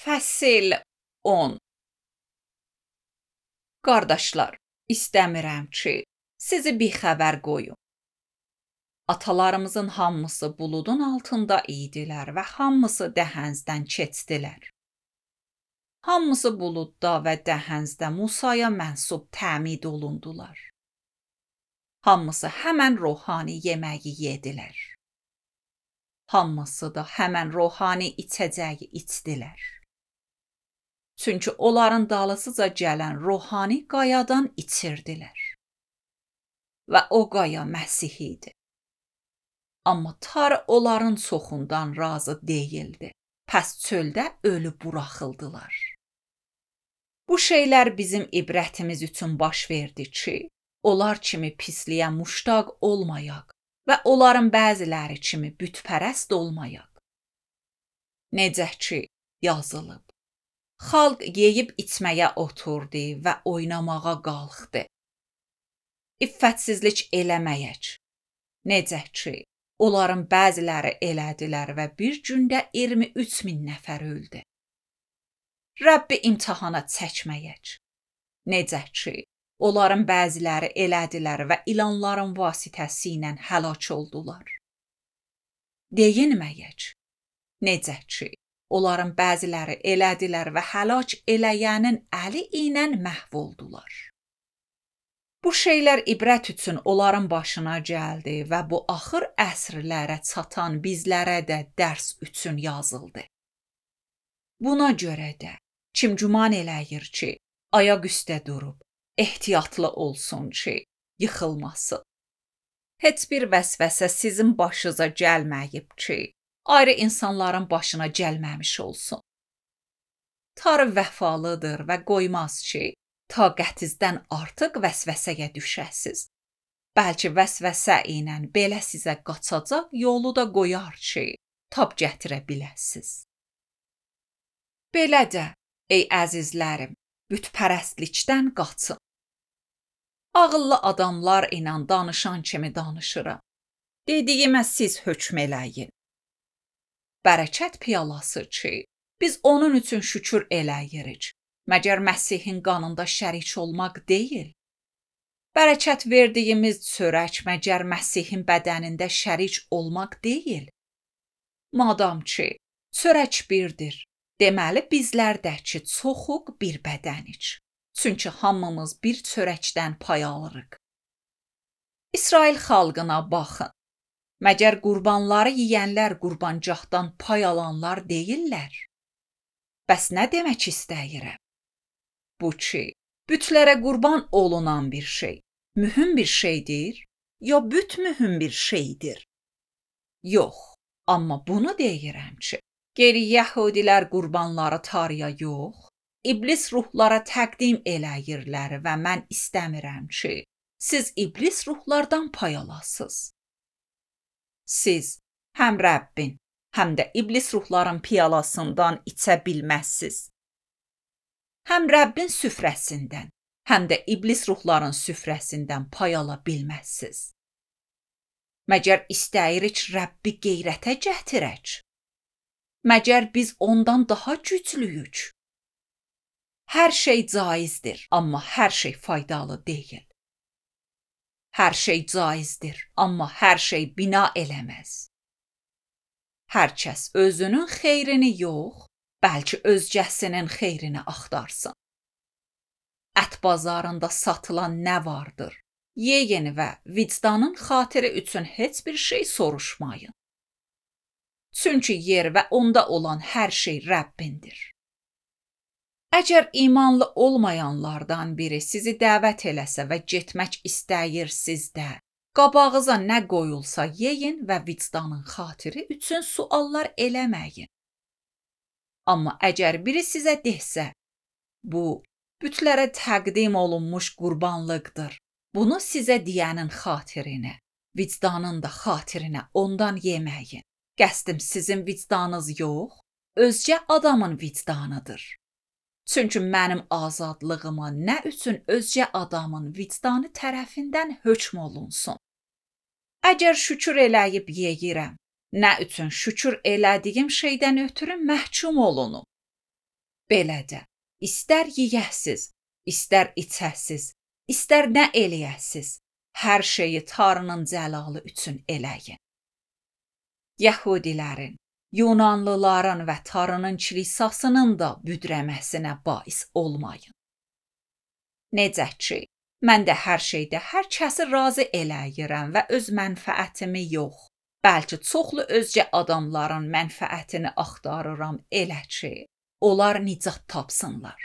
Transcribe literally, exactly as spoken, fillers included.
Fəsil on. Qardaşlar, istəmirəm ki, sizi bixəbər qoyum. Atalarımızın hamısı buludun altında idilər və hamısı dəhəzdən keçdilər. Hamısı buludda və dəhəzdə Musaya mənsub təmid olundular. Hamısı həmən ruhani yeməyi yedilər. Hamısı da həmən ruhani içəcəyi içdilər. Çünki onların dalısıca gələn ruhani qayadan içirdilər. Və o qaya Məsih idi. Amma Tanrı onların çoxundan razı deyildi. Pəs çöldə ölü buraxıldılar. Bu şeylər bizim ibrətimiz üçün baş verdi ki, onlar kimi pisliyə muştaq olmayaq və onların bəziləri kimi bütpərəst olmayaq. Necə ki, yazılıb. Xalq yeyib içməyə oturdu və oynamağa qalxdı. İffətsizlik eləməyək. Necə ki, onların bəziləri elədilər və bir gündə iyirmi üç min nəfər öldü. Rəbbi imtihana çəkməyək. Necə ki, onların bəziləri elədilər və ilanların vasitəsilə həlak oldular. Deyinməyək. Necə ki, onların bəziləri elədilər və həlak eləyənin əli ilə məhv oldular. Bu şeylər ibrət üçün onların başına gəldi və bu axır əsrlərə çatan bizlərə də dərs üçün yazıldı. Buna görə də kim güman eləyir ki, ayaq üstə durub, ehtiyatlı olsun ki, yıxılmasın. Heç bir vəsvəsə sizin başınıza gəlməyib ki, ayrı insanların başına gəlməmiş olsun. Tanrı vəfalıdır və qoymaz ki, taqətinizdən artıq vəsvəsəyə düşəsiz. Bəlkə vəsvəsə ilə belə sizə qaçacaq yolu da qoyar ki, tab gətirə biləsiz. Belə də, ey əzizlərim, bütpərəstlikdən qaçın. Ağıllı adamlar ilə danışan kimi danışıram. Dediyimə siz hökm eləyin. Bərəkət piyalası ki, biz onun üçün şükür eləyirik. Məgər Məsihin qanında şərik olmaq deyil. Bərəkət verdiyimiz çörək məgər Məsihin bədənində şərik olmaq deyil. Madam ki, çörək birdir, deməli bizlər də ki, çoxuq bir bədənik. Çünki hamımız bir çörəkdən pay alırıq. İsrail xalqına baxın. Məgər qurbanları yeyənlər qurbancaqdan pay alanlar deyillər. Bəs nə demək istəyirəm? Bu ki, bütlərə qurban olunan bir şey, mühüm bir şeydir, ya büt mühüm bir şeydir? Yox, amma bunu deyirəm ki, geri yəhudilər qurbanları Tanrıya yox, iblis ruhlara təqdim eləyirlər və mən istəmirəm ki, siz iblis ruhlardan pay alasınız. Siz həm Rəbbin, həm də iblis ruhların piyalasından içə bilməzsiniz. Həm Rəbbin süfrəsindən, həm də iblis ruhların süfrəsindən pay ala bilməzsiniz. Məgər istəyirik Rəbbi qeyrətə gətirək? Məgər biz ondan daha güclüyük? Hər şey caizdir, amma hər şey faydalı deyil. Hər şey caizdir, amma hər şey bina eləməz. Hər kəs özünün xeyrini yox, bəlkə özgəsinin xeyrini axtarsın. Ət bazarında satılan nə vardır? Yeyin və vicdanın xatiri üçün heç bir şey soruşmayın. Çünki yer və onda olan hər şey Rəbbindir. Əgər imanlı olmayanlardan biri sizi dəvət eləsə və getmək istəyirsiz də, qabağıza nə qoyulsa yeyin və vicdanın xatiri üçün suallar eləməyin. Amma əgər biri sizə desə, bu, bütlərə təqdim olunmuş qurbanlıqdır, bunu sizə deyənin xatirinə, vicdanın da xatirinə ondan yeməyin. Qəsdim sizin vicdanınız yox, özgə adamın vicdanıdır. Çünki mənim azadlığıma nə üçün özgə adamın vicdanı tərəfindən hökm olunsun? Əgər şükür eləyib yeyirəm, nə üçün şükür elədiyim şeydən ötürü məhkum olunum? Beləcə, istər yeyəsiz, istər içəsiz, istər nə eləyəsiz, hər şeyi Tanrının cəlalı üçün eləyin. Yəhudilərin, Yunanlıların və Tanrının kilisasının da büdrəməsinə bais olmayın. Necə ki, mən də hər şeydə hər kəsi razı eləyirəm və öz mənfəətimi yox, bəlkə çoxlu özgə adamların mənfəətini axtarıram elə ki, onlar nicat tapsınlar.